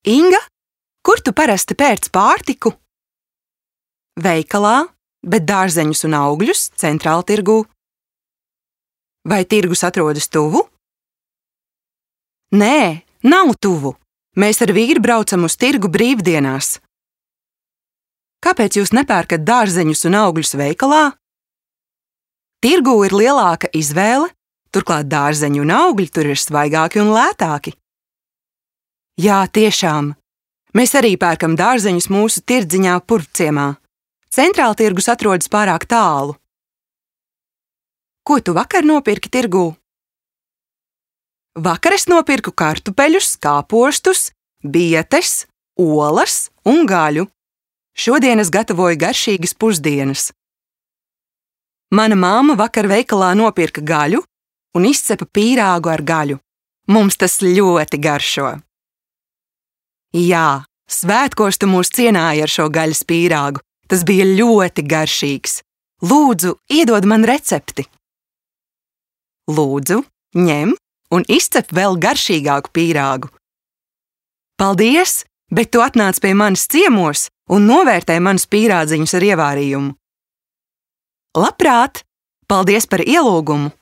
Inga, kur tu parasti pērc pārtiku? Veikalā, bet dārzeņus un augļus Centrāltirgū. Vai tirgus atrodas tuvu? Nē, nav tuvu. Mēs ar vīru braucam uz tirgu brīvdienās. Kāpēc jūs nepērkat dārzeņus un augļus veikalā? Tirgū ir lielāka izvēle, turklāt dārzeņi un augļi tur ir svaigāki un lētāki. Jā, tiešām. Mēs arī pērkam dārzeņus mūsu tirdziņā Purvciemā. Centrāltirgus atrodas pārāk tālu. Ko tu vakar nopirki tirgū? Vakar es nopirku kartupeļus, kāpostus, bietes, olas un gaļu. Šodien es gatavoju garšīgas pusdienas. Mana mamma vakar veikalā nopirka gaļu un izcepa pīrāgu ar gaļu. Mums tas ļoti garšo. Jā, svētkos tu mūs cienāji ar šo gaļas pīrāgu. Tas bija ļoti garšīgs. Lūdzu, iedod man recepti. Lūdzu, ņem un izcep vēl garšīgāku pīrāgu. Paldies, bet tu atnāc pie manis ciemos un novērtē manus pīrādziņus ar ievārījumu. Labprāt! Paldies par ielūgumu!